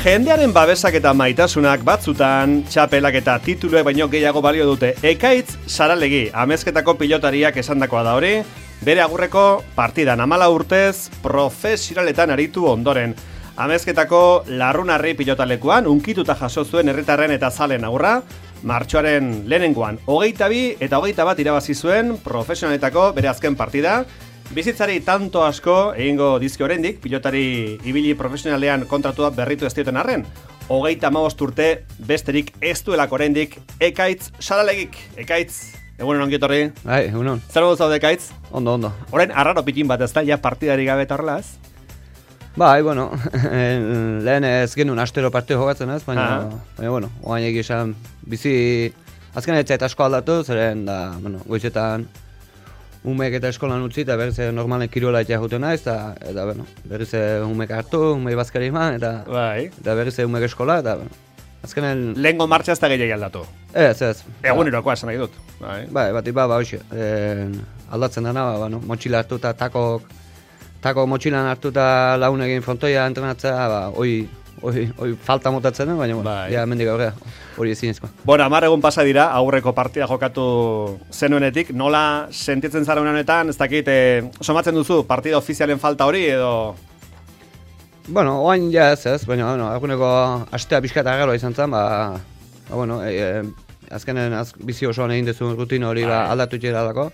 Jendearen babesak eta maitasunak batzutan, txapelak eta tituluek baino gehiago balio dute. Ekaitz Saralegi, Amezketako pilotariak esandakoa da hori, bere agurreko partidan 14 urtez profesionaletan aritu ondoren. Amezketako Larrunarri pilotalekuan unkituta jaso zuen herritarren eta zalen agurra, martxoaren lehenengoan 22 eta 21 irabazi zuen profesionaletako bere azken partida. Bizitzari tanto asko egingo dizki oraindik, pilotari ibili profesionalean kontratua berritu ez dioten arren. 35 urte besterik ez duelako oraindik Ekaitz Saralegik. Ekaitz, egunen ongi etorri. Bai, egunon. Zer modu zaude, Ekaitz? Ondo. Orain arraro pitin bat ez da, ja partidari gabe eta horrela ez? Bai, bueno, lehen ez genuen astero partido jokatzen ez, baina bueno, oain egizan bizi azken etzait asko aldatu, zeren da, bueno, goizetan umeek eta eskolan utzi eta berriz normalen kirola eta juten naiz, eta bueno, berriz umeek hartu, umei bazkari eman, eta berriz umeek eskola, eta bueno, azkenen... Lehengo martxa ez da gehiagi aldatu? Ez. Egunerokoa esan nahi dut. Bai, hoxe, aldatzen dana, bueno, motxila hartu eta tako motxilan hartu eta lagun egin frontoia entrenatzea, hoi falta motatzen den, baina ja mendik aurrea, hori ezinezkoa. Bueno, 10 egun pasa dira, aurreko partida jokatu zenuenetik, nola sentitzen zara honetan, ez dakit, somatzen duzu partida ofizialen falta hori edo... Bueno, oain ja ez, baina, aguneko astea pixka eta gero izan zen, bueno, azkenen bizi osoan egin dezun rutin hori aldatu txeralako.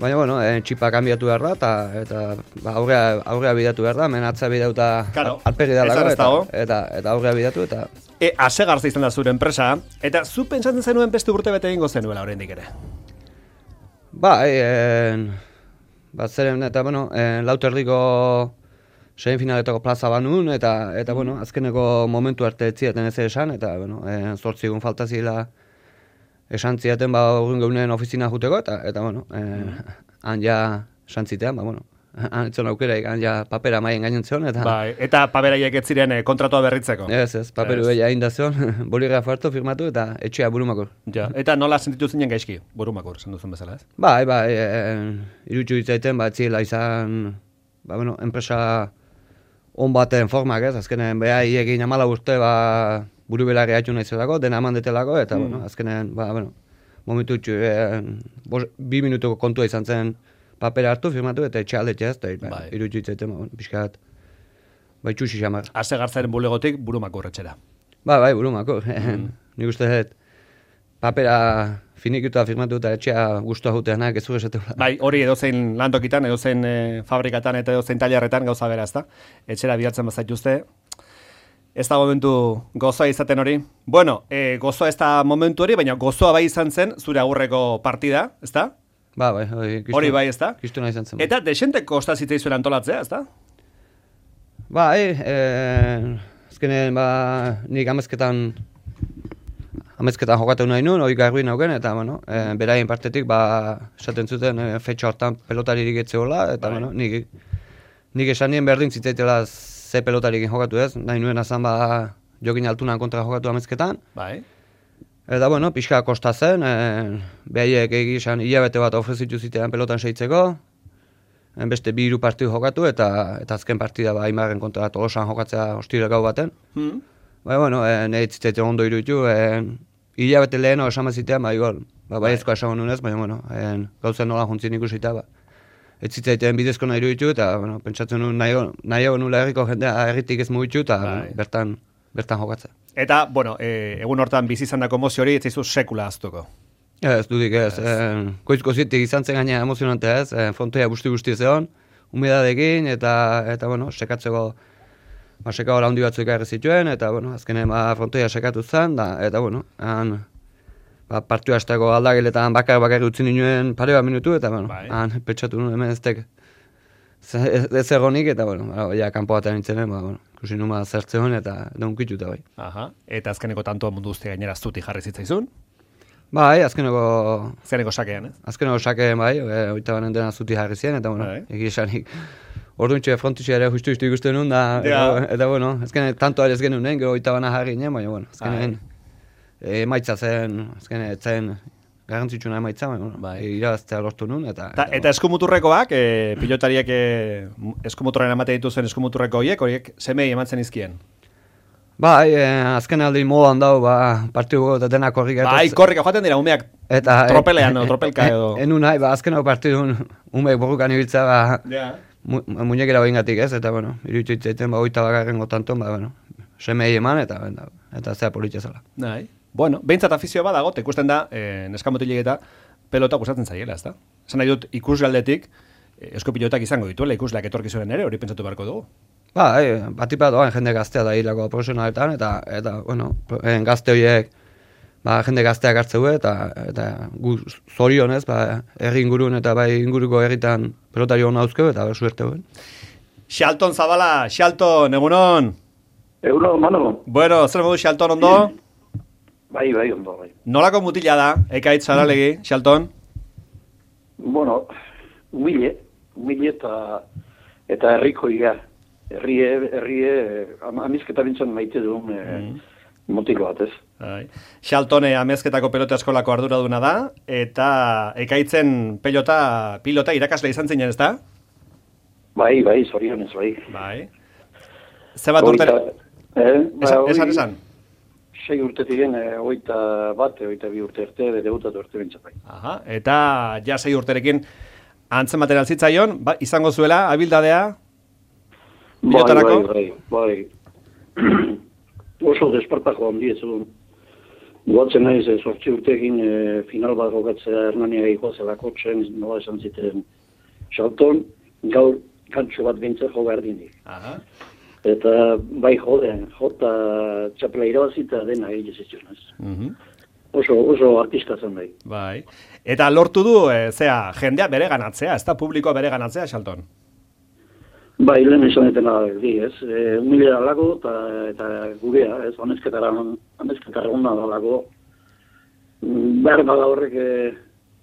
Baina, bueno, txipa kanbiatu behar da, eta aurrea bidatu behar da, hemen atza bidauta alperi dalako, eta aurrea bidatu, eta... Asegarza izan da zure enpresa, eta zu pentsatzen zenuen beste urte bete egingo zenuela oraindik ere? Zeren, eta, bueno, lauterdiko sein finaletako plaza banun, eta, bueno, azkeneko momentu arte etziaten ez esan, eta, bueno, 8 egun falta zila esan ziaten urrin geunen ofizina juteko, eta bueno, han ja esan zitean, bueno, han etzon aukeraik, han ja papera maien gainen zion, eta... Eta paperaiek ez ziren kontratua berritzeko? Ez, paperu behia egin da zion, boligrafo hartu firmatu, eta etxea Burumakur. Eta nola sentitu zinen gaizki, Burumakur, esan duzun bezala, ez? Bai, irutxu ditzaiten, ziela izan, bueno, enpresa on baten formak, ez, azkenen beha egin 14 urte, buru belarri haitu nahi zelako, dena eman detelako, eta, bueno, azkenean, momentu 2 minutuko kontua izan zen papera hartu, firmatu, eta etxe aldetzea, eta irutxu itzaiten, pixkat, txusi xamar. Asegartzaren bulegotik Burumakur etxera. Bai, Burumakur. Nik uste dut, papera finikuta firmatu eta etxea guztua juteanak ez esatela. Bai, hori edozein lantokitan, edozein fabrikatan eta edozein tailerretan gauza bera, ezta? Etxera bilatzen bazaituzte. Ez da momentu gozoa izaten hori. Bueno, gozoa ez da momentu hori, baina gozoa bai izan zen zure agurreko partida, ez da? Bai, hori bai, ez da? Kistuna izan zen. Eta desente kosta zitzaizuen antolatzea, ez da? Bai, azkenen, nik amezketan jokatu nahi nuen, hori garbi nauken, eta, bueno, beraien partetik, esaten zuten, fetxa hortan pelotaririk etzeola, eta, bueno, nik esan nien berdin zitzaitela ze pelotarikin jokatu ez, nahi nuen azan jokin altunan kontra jokatu amezketan. Bai. Eta, bueno, pixka kosta zen, behaiek egizan hilabete bat ofrezitu zitean pelotan seitzeko, beste 2 partidu jokatu, eta azken partida Aimarren kontra Tolosan jokatzea ostira gau baten. Bai, bueno, nahi zitzaiten ondo iruditu, hilabete leheno esan bazitean, baiezkoa esan honunez, baina, bueno, gauzen nola juntzien ikusita, ez zitzaiten bidezko nahi iruditu, eta, bueno, pentsatzen nuen nahiago nula herriko jendea herritik ez mugitu, eta bertan jokatzea. Eta, bueno, egun hortan bizi izandako emozio hori, ez zaizu sekula aztuko? Ez dudik ez, koizko zitik izan zen gaina emozionantea ez, frontoia guzti zeon, humidadekin, eta, bueno, sekatzeko, seka hori handi batzuk ekarri zituen, eta, bueno, azkenen frontoia sekatu zen, eta, bueno, partiu hasteko aldageletan bakar utzi nuen pare bat minutu, eta, bueno, pentsatu nuen hemen ez egonik, eta, bueno, kanpo batean nintzenen, ikusi numa zertzeon, eta unkituta, bai. Eta azkeneko tantoa mundu guzti gainera zuti jarri zitzaizun? Bai, azkeneko sakean, ez? Azkeneko sakean, bai, oita banen dena zuti jarri zien, eta, bueno, egisanik orduntxe frontitxe ere justu ikusten nuen, eta, bueno, azkenen tanto ere ez genuen, gero oita bana jarri nien, baina, bueno, azkenen emaitza zen, azkenen etzen garrantzitsuna emaitza, irabaztea lortu nuen. Eta eskumuturrekoak, pilotariek eskumuturren ematen dituzen eskumuturreko horiek semei ematzen izkien? Bai, azken aldi modan dau, partidu eta denak korrik. Bai, korrika joaten dira, umeak tropelean, tropelka edo. Enun nahi, azken hau partidun umeak borrukan ibiltza, muñekera hoingatik ez, eta, bueno, iruditu itzaiten, 21. tanton, semei eman, eta zea politia zela. Nahi. Bueno, behintzat afizio badago, ikusten da, neskamotilik eta pelota gustatzen zaiela, ez da? Esan nahi dut, ikusgaldetik, eskopilotak izango dituela, ikusleak etorkizunen ere, hori pentsatu beharko dugu. Batipat doan jende gaztea da hilako profesionaletan, eta bueno, gazte horiek, jende gazteak hartzeu, eta gu zorionez, herri ingurun eta bai inguruko herritan pelotari hona hauzkeu, eta suerte huen. Xalton Zabala, Xalton, egunon? Egunon, mano. Bueno, zer modu Xalton ondo? Bai, ondo, bai. Nolako mutila da, Ekaitz Saralegi, Xalton? Bueno, humile eta herriko iga. Herrie, amizketa bintzen maite duen motiko bat, ez? Xaltone amezketako pelota eskolako arduraduna da, eta Ekaitzen pilota irakasle izan zinen, ez da? Bai, zorionez, bai. Ze bat urte? Esan? 6 urtetik gen, 22 urte arte, debutatu urte bintzen, bai. Aha, eta ja 6 urterekin antzen material zitzaion, izango zuela, abildadea? Bai. Oso despartako handi ez egun. Guatzen naiz, 8 urtekin final bat jokatzea Hernania gehiago zelako txen, nola esan ziten Xalton, gaur kantxo bat bintzen jo behar dindik. Eta bai jota txapela irabazita dena egin zitzionez. Oso artista zen bai. Bai. Eta lortu du, jendea bere ganatzea, ez da publikoa bere ganatzea, Xalton? Bai, lehen esan etena ez? Humilera lago eta gurea, ez? Honezketara hona da lago. Behar bada horrek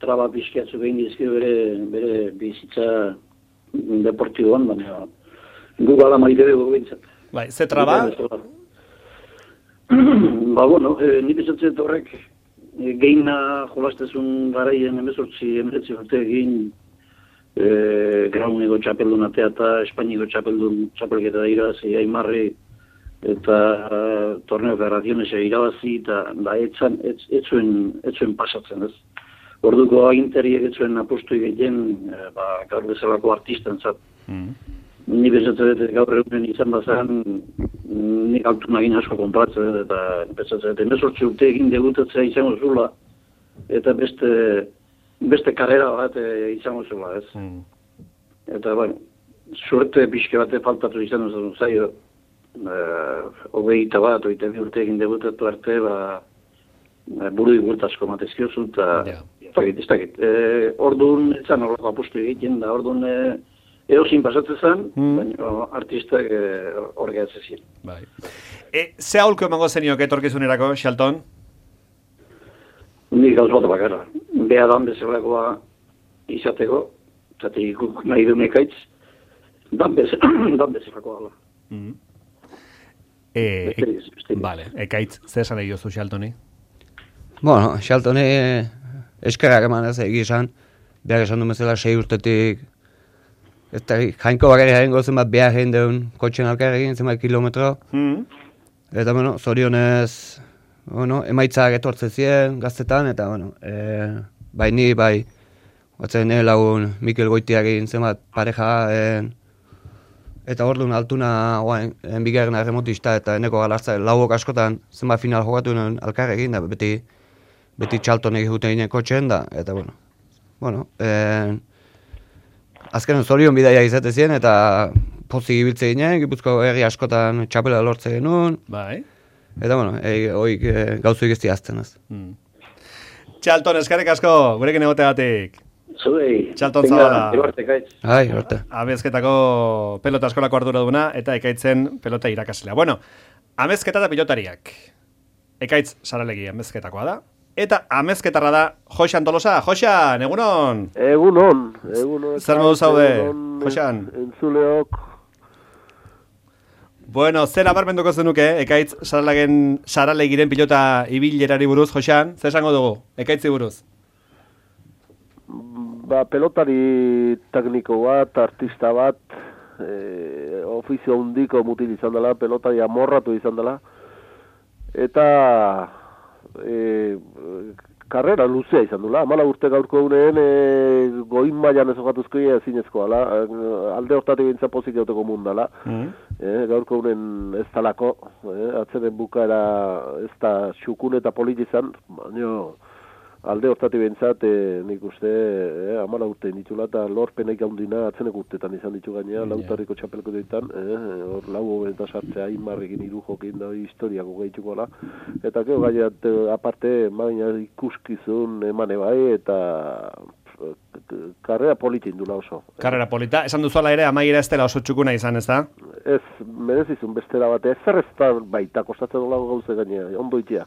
traba pixkiatzu behin dizkio bere bizitza deportiboan, baina gu gala maite dugu bintzat. Bai, ze traba? Nik esatzen horrek geina jolastezun garaien 18 urte egin Grauneko txapeldunatea eta Espainiko txapelketa da irabazi Aimarri eta torneo federazionesa irabazi eta etzuen pasatzen ez. Orduko aginteriek etzuen apostu egiten gaur bezalako artisten zat. Ni bezatzen dut gaur egunen izan bazan nik altu nagin asko kontratzen dut eta bezatzen dut 18 urte egin debutatzea izango zula eta beste karrera bat izango zula, ez? Eta, suerte pixke bate faltatu izan duzun zaio, 21, 22 urte egin debutatu arte, buru igurtasko matezkiozu, eta ez dakit. Orduan, etzan horreko apustu egiten, da orduan eozin pasatzen zen, baina artistak horregatzen ziren. Bai. Ze aholko emango zenioke etorkizunerako, Xalton? Nik gauz bat bakarra. Beha dan bezalakoa izateko, eta ikuk nahi duen Ekaitz, dan bezalakoa da. Vale, Ekaitz, zer esan egin jozu Xaltoni? Bueno, Xaltoni eskerrak eman ez egizan, behar esan du bezala 6 urtetik, eta jainko bakarri jaren gozen bat behar egin deun kotxen alkarrekin, zenbait kilometro, eta zorionez, emaitzak etortzen ziren gaztetan, eta, bai ni, batzen lagun Mikel Goitiakin zenbat pareja, eta orduan altuna bigarren erremotista, eta eneko galartza lauok askotan zenbat final jokatu nuen alkarrekin, da beti Xaltonek egiten ginen kotxen, da, eta, azken zorion bidaia izate ziren, eta pozik ibiltze ginen, Gipuzko herri askotan txapela lortze genuen, bai. Eta, hoik gauzuik ez diazten ez. Xalton, eskarrik asko, gurekin egoteagatik. Zuei. Xalton Zabala. Ibarte. Amezketako pelota eskolako arduraduna eta Ekaitzen pelota irakaslea. Bueno, amezketa eta pilotariak. Ekaitz Saralegi amezketakoa da. Eta amezketarra da Joxan Tolosa. Joxan, egunon? Egunon. Zer modu zaude, Joxan? Entzuleok. Bueno, zer nabarmenduko zenuke, Ekaitz Saralegiren pilota ibilerari buruz, Joxan? Zer esango dugu, Ekaitzi buruz? Pelotari tekniko bat, artista bat, ofizio handiko mutil izan dela, pelotari amorratu izan dela, eta karrera luzea izan dula. 14 urte gaurko uneen goin mailan ez jokatuzkoia ezinezkoa ala. Alde hortatik bintza pozik gauteko mundala. Gaurko unen ez talako, atzenen bukaera ez da xukun eta polit izan, baina alde hortatik bintzat nik uste 14 urte ditula eta lorpenek handina atzenek urtetan izan ditu gainea, lautarriko txapelko ditan, hor lau eta sartzea Aimarrekin 3 jokin da historiako gehituko ala, eta gero gaiat aparte maina ikuskizun emane bai eta karrera polita indula oso. Karrera polita, esan duzuala ere amaiera ez dela oso txukuna izan, ez da? Ez, merezizun bestera bate, zer ez da baita kostatzen olago gauze gainea, ondo itea.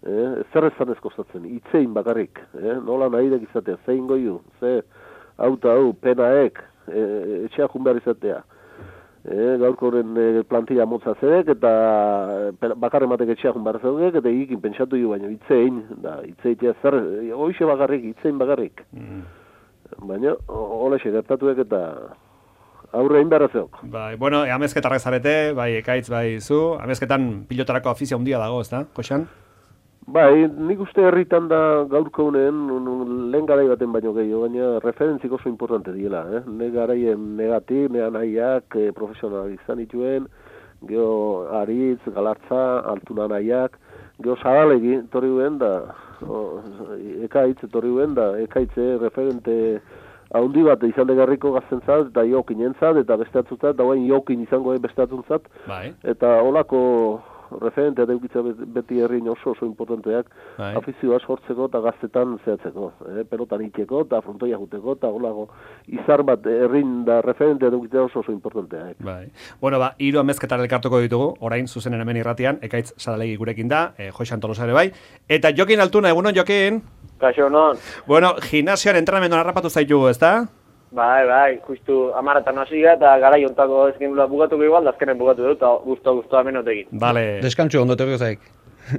Zer ez zanez kostatzen, itzein bakarrik, nola nahidek izatea, zein goiu, ze auta hau, penaek, etxea behar izatea. Gaurko horren plantilla motza zedek, eta bakarren batek etxea behar zeudek, eta egikin pentsatu jo, baina itzein, itzeitea zer, hoxe bakarrik, itzein bakarrik. Baina, holexe gertatuek eta aurre egin behar zeok. Bai, bueno, amezketarrak zarete, bai, Ekaitz, bai, zu, amezketan pilotarako afizia handia dago, ez da, Joxan? Bai, nik uste herritan da gaurko unen lehen garai baten baino gehiago, baina referentzik oso importante diela. Ne garaien negatik, ne anaiak, profesional izan dituen, geho Aritz, Galartza, Altuna anaiak, geho Zabalegi, torri duen da, Ekaitz, torri duen da, Ekaitze referente haundi bat izan degarriko gaztentzat, eta jokin entzat, eta besteatzuntzat, eta guain jokin izango besteatzuntzat, eta holako referentea deukitza beti herrin oso importanteak, afizioa sortzeko eta gaztetan zehatzeko, pelotan itxeko eta frontoia juteko, eta holago izar bat herrin da referentea deukitza oso importanteak. Bai. Bueno, 3 amezketar elkartuko ditugu, orain zuzenen hemen irratian, Ekaitz Saralegi gurekin da, Joxan Tolosa ere bai, eta Jokin Altuna, egunon Jokin? Kaixo, non? Bueno, gimnasioan entrenamenduan harrapatu zaitu, ez da? Bai, justu 10 hasiga eta garai hontako ezkin bukatuko igual, azkenen bukatu dut, eta guztu amenotekin. Vale. Deskantxo ondo terko zaik.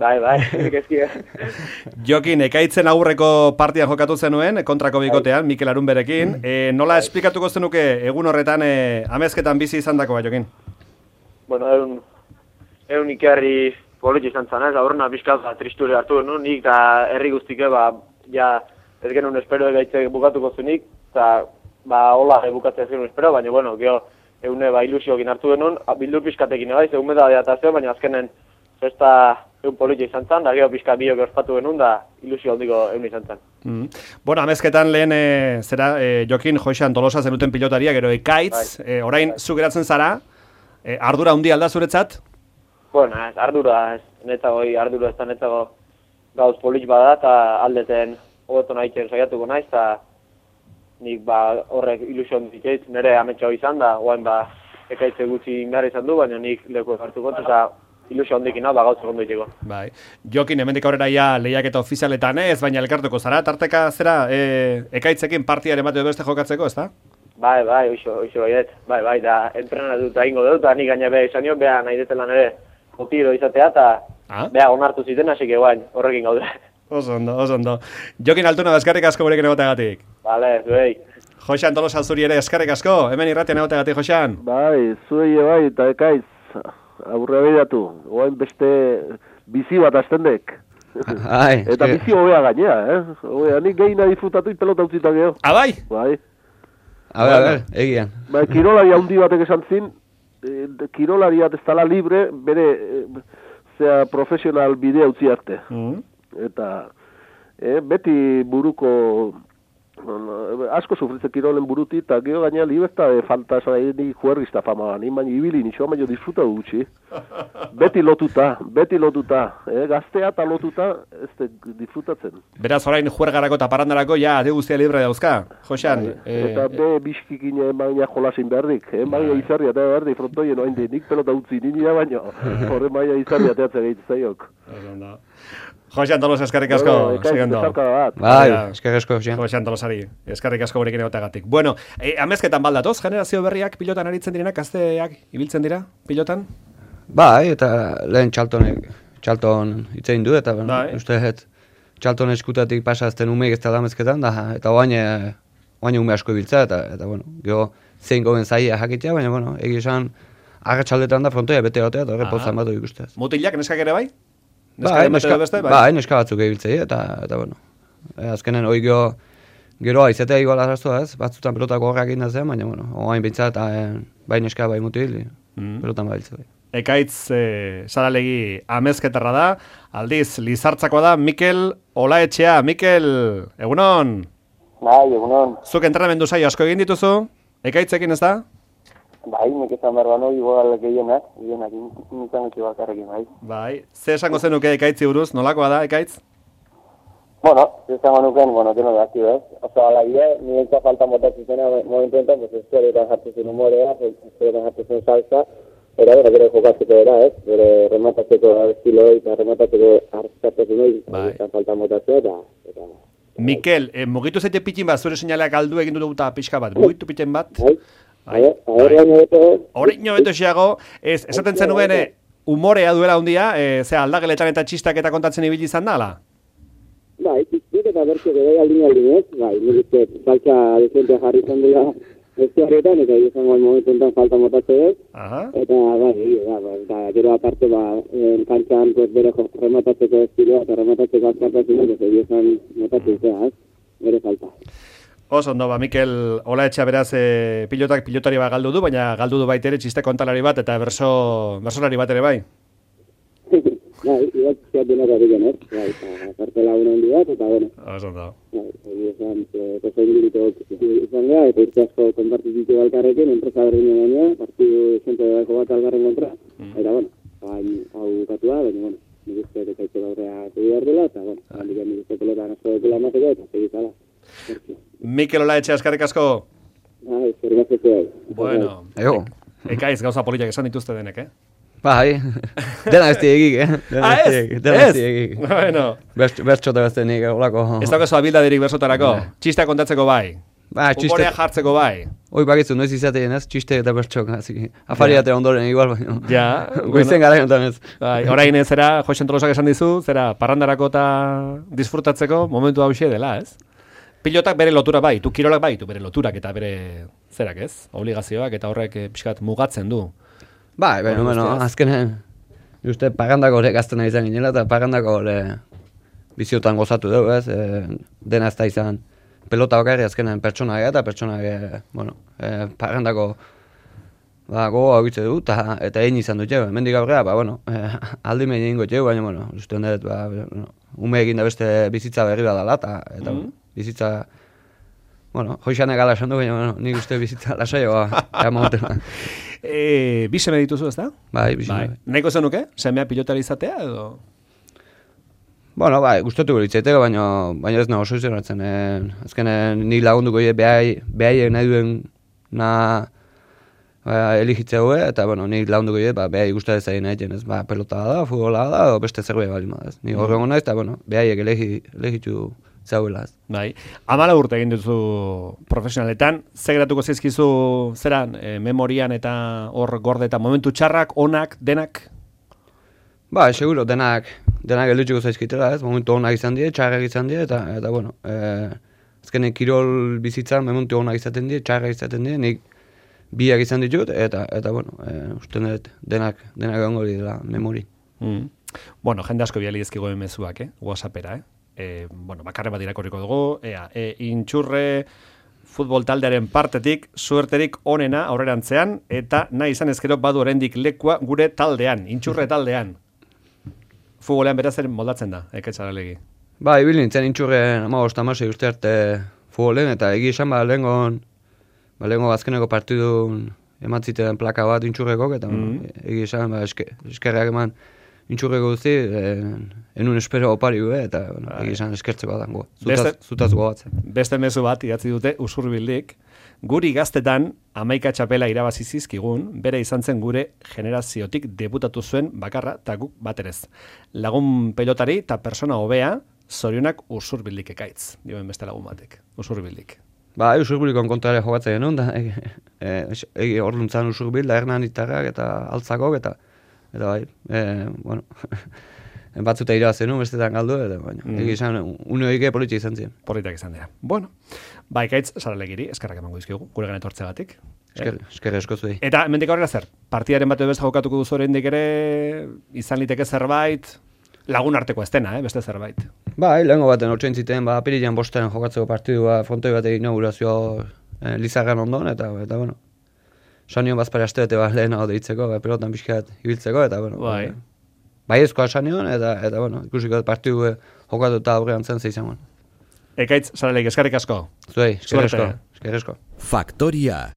Bai, ekezkia. Jokin, Ekaitzen aurreko partian jokatu zenuen, kontrako bikotean, Mikel Arunberekin. Nola esplikatuko zenuke egun horretan amezketan bizi izandakoa, Jokin? Bueno, egun ikerri politxe izan zanez, aurrena pixkat tristure hartu genuen, nik eta herri guztike, ja ez genuen espero egaitze bukatuko zenik, eta hola bukatzea zenuen espero, baina, bueno, geho, egune ilusiokin hartu genuen, bildur pixkatekin egaiz, egun beda diatazio, baina azkenen festa egun politxe izan zan, da geho pixka biok ospatu genuen, da ilusio handiko egun izan zan. Bueno, amezketan lehen, Jokin, Joxan Tolosa zenuten pilotaria, gero Ekaitz, orain zu geratzen zara, ardura handi alda zuretzat? Bueno, ardura, ardura ez da netzago gauz politx bada, eta aldeten hobeto nahi saiatuko naiz, eta nik horrek ilusio handikeiz, nire ametxo izan da, oain Ekaitze gutxi behar izan du, baina nik leku hartuko, eta ilusio handikin gauz egon doiteko. Bai. Jokin, hemendik aurrera ja lehiaketa ofizialetan ez, baina elkartuko zara, tarteka zera Ekaitzekin partiare emate beste jokatzeko, ez da? Bai, oixo baiet, bai, da entrenatu eta ingo dut, eta nik gaina beha izan nio, beha nahi detelan ere otiro izatea, eta beha onartu ziten, hasi guain, horrekin gaude. Oso ondo. Jokin Altuna, eskerrik asko gurekin egoteagatik. Vale, zuei. Joxan Tolosa zuri ere eskerrik asko, hemen irratian egoteagatik, Joxan. Bai, zuei bai, eta Ekaitz, aurre behiratu, oain beste bizi bat aztendek. Eta bizi hobea gainea, hobea, nik gehina disfrutatu pelota utzita geho. Bai? Bai. A ver, egian. Bai, kirolari handi batek esan zin, kirolaria ez dala libre, bere, profesional bidea utzi arte. Eta, beti buruko, asko sufritze kirolen buruti, eta geho gaina liberta falta esan ni juergista fama, ni baina ibili, nixoa baina disfruta gutxi. Beti lotuta, gaztea eta lotuta, ez disfrutatzen. Beraz, orain juergarako eta parandarako, ja, ade guztia libre dauzka, Joxan. Eta biskikin baina jolasin beharrik, baina izarri eta beharrik, frontoien oain nik pelota utzi nina baina, horren baina izarri ateatzea gehiatzen zaiok. Joxan Tolosa, eskerrik asko, segundo. Bai, eskerrik asko, Joxan Tolosari, eskerrik asko gurekin egoteagatik. Bueno, amezketan baldatoz, generazio berriak pilotan aritzen direnak, gazteak ibiltzen dira pilotan? Bai, eta lehen txalton itzein du, eta uste txalton eskutatik pasazten umeik ez da amezketan, eta oain ume asko ibiltza, eta bueno, geho zein goben zaia jakitea, baina, bueno, egia esan, agatxaldetan da frontoia bete gotea, eta horre pozan bat ikusteaz. Mutilak, neskak ere bai? Neska batzuk ebiltzei, eta bueno. Azkenen hoi gero aizetea igual arrazoa ez, batzutan pelotako horrak egin da zen, baina, bueno, oain bintzat, bai neska bai mutil, pelotan bailtze bai. Ekaitz Saralegi amezketarra da, aldiz Lizartzakoa da Mikel Olaetxea. Mikel, egunon? Bai, egunon. Zuk entrenamendu saio asko egin dituzu, Ekaitzekin ez da? Bai, nik esan behar bano, igual gehienak nintzen eki bakarrekin, bai. Bai, ze esango zenuke Ekaitzi buruz, nolakoa da, Ekaitz? Bueno, esango nuken, deno da, ez? Oso, ala bide, niretzat falta motatzen zena momentu enten, pues eskueretan jartzen humorea, eskueretan jartzen salsa, era gero jokatzeko era, ez? Gero rematatzeko estiloi eta rematatzeko hartzatzeko eta falta motatzeko eta... Mikel, mugitu zaite pitin bat, zure seinaleak galdu egin dut pixka bat, mugitu pitin bat? Horreino beto esiago, esaten zenuen humorea duela hundia, aldageletan eta txistak eta kontatzen ibili izan da, ala? Bai, txistik eta bertxo bai aldin ez, bai, nire saltza dezentea jarri izan dela bestiarretan, eta izango momentu enten falta motatzeko ez, eta bai, gero aparte, kantxan bere rematatzeko estiloa eta rematatzeko azkartatzen dut, ez izan motatzeko ez, bere falta. Oso ondo, Mikel Olaetxea beraz pilotari bat galdu du, baina galdu du baitere txiste kontalari bat eta bersolari bat ere bai. Bai, igual denera digen, ez? Bai, kartela una handi bat, eta bueno. Oso ondo. Bai, izan gara, eta urte asko konpartizitu balkarrekin, enpresa berdinen baina, partidu zente dago bat algarren kontra. Eta bueno, hau katua, baina bueno, nik uste ekaitze gaurrea behar dela, eta bueno, nik uste pelotan asko dekela emateko, eta segizala. Mikel Olaetxea, eskarrik asko. Bai, eskerrik asko. Bueno, Ekaiz gauza politak esan dituzte denek, Bai, dena ez diegik, Dena ez diegik. Bueno. Bertxota ez denik, olako. Ez daukazu abildaderik bersotarako, txistea kontatzeko bai. Humorea jartzeko bai. Hoi bakizu, noiz izatean ez, txiste eta bertxok, afariate ondoren igual, baina. Ja. Goizen gara jontan ez. Orain ez zera, Joxen Tolosak esan dizu, zera, parrandarako eta disfrutatzeko momentu hauxe dela, ez? Pilotak bere lotura bai, tu kirolak bai, tu bere loturak eta bere zerak ez, obligazioak eta horrek pixkat mugatzen du. Bai, bueno, azkenen, uste parrandako hori gaztena izan ginela eta parrandako hori biziotan gozatu dugu ez, dena ez da izan pelota bakarri azkenen pertsonaia eta pertsonaia, bueno, parrandako gogoa egitze du eta egin izan dut jau, mendik aurrera, bueno, aldi mehin egingo jau, baina, bueno, uste honet, ume egin da beste bizitza berri badala eta bizitza, bueno, hoxanek ala esan du, baina, bueno, nik uste bizitza lasaioa, momotela. Bi seme dituzu, ez da? Bai, bi seme. Nahiko zenuke? Semea pilotari izatea, edo? Bueno, bai, gustatu gulitzaiteko, baina ez nago oso izan azkenen nik lagunduko behaiek nahi duen eligitzea hue, eta, bueno, nik lagunduko behai guztat ez nahi ez, pelota da, futbola da, o beste zerbait bali ma, ez. Ni horrengo naiz, eta, bueno, behaiek elegitu zauela, ez. Bai, 14 urte egin duzu profesionaletan, ze geratuko zaizkizu zeran, memorian eta hor gorde eta momentu txarrak, onak, denak? Ba, seguro, denak elutxuko zaizkitela, ez, momentu onak izan die, txarrak izan die, eta bueno, azkenen kirol bizitzan momentu onak izaten die, txarrak izaten die, nik biak izan ditut, eta bueno, uste dut denak egongo dira memori. Bueno, jende asko biali ezkigo emezuak, WhatsAppera, bueno, bakarre bat irakorriko dugu, intxurre futbol taldearen partetik, suerterik onena aurrerantzean, eta nahi izan ezkero badu oraindik lekua gure taldean, intxurre taldean. Futbolean beraz moldatzen da, Saralegi. Ba, ibil nintzen intxurren 15-16 uste arte futbolen, eta egi esan lehengo azkeneko partidun ematziten plaka bat intxurrekok, eta egi esan eskerrak eman intxurreko duzi, enun espero opari eta egi esan eskertzeko dango, zutaz gogatzen. Beste mezu bat idatzi dute Usurbildik, guri gaztetan 11 txapela irabazi zizkigun, bere izan zen gure generaziotik debutatu zuen bakarra eta guk baterez. Lagun pelotari eta persona hobea, zorionak Usurbildik Ekaitz, dioen beste lagun batek, Usurbildik. Ba, Usurbilikon kontrare jogatzen genuen, da, hor luntzan Usurbil, da Hernan Itarrak eta Altzakok, eta bai, bueno, batzuta irabazen nu, bestetan galdu, eta baina, egizan, uneoike politia izan ziren. Politak izan dira. Bueno, ba, Ekaitz, Saralegiri, eskerrak emango dizkigu, gure gana etortzegatik. Eskerra esko zuei. Eta, hemendik aurrera zer, partidaren bat beste jokatuko duzu oraindik ere, izan liteke zerbait? lagun arteko ez dena, beste zerbait. Bai, lehengo baten hortzein ziten, apirilean bostean jokatzeko partidua frontoi bat inaugurazio Lizarran ondon, eta bueno, sanion bazpare astebete lehenago deitzeko, pelotan pixkat ibiltzeko, eta bueno, bai ezkoa sanion, eta bueno, ikusiko partidu jokatu eta aurrean zen zeizangoan. Ekaitz, Saraleik, eskerrik asko. Zuei, eskerrik asko. Faktoria.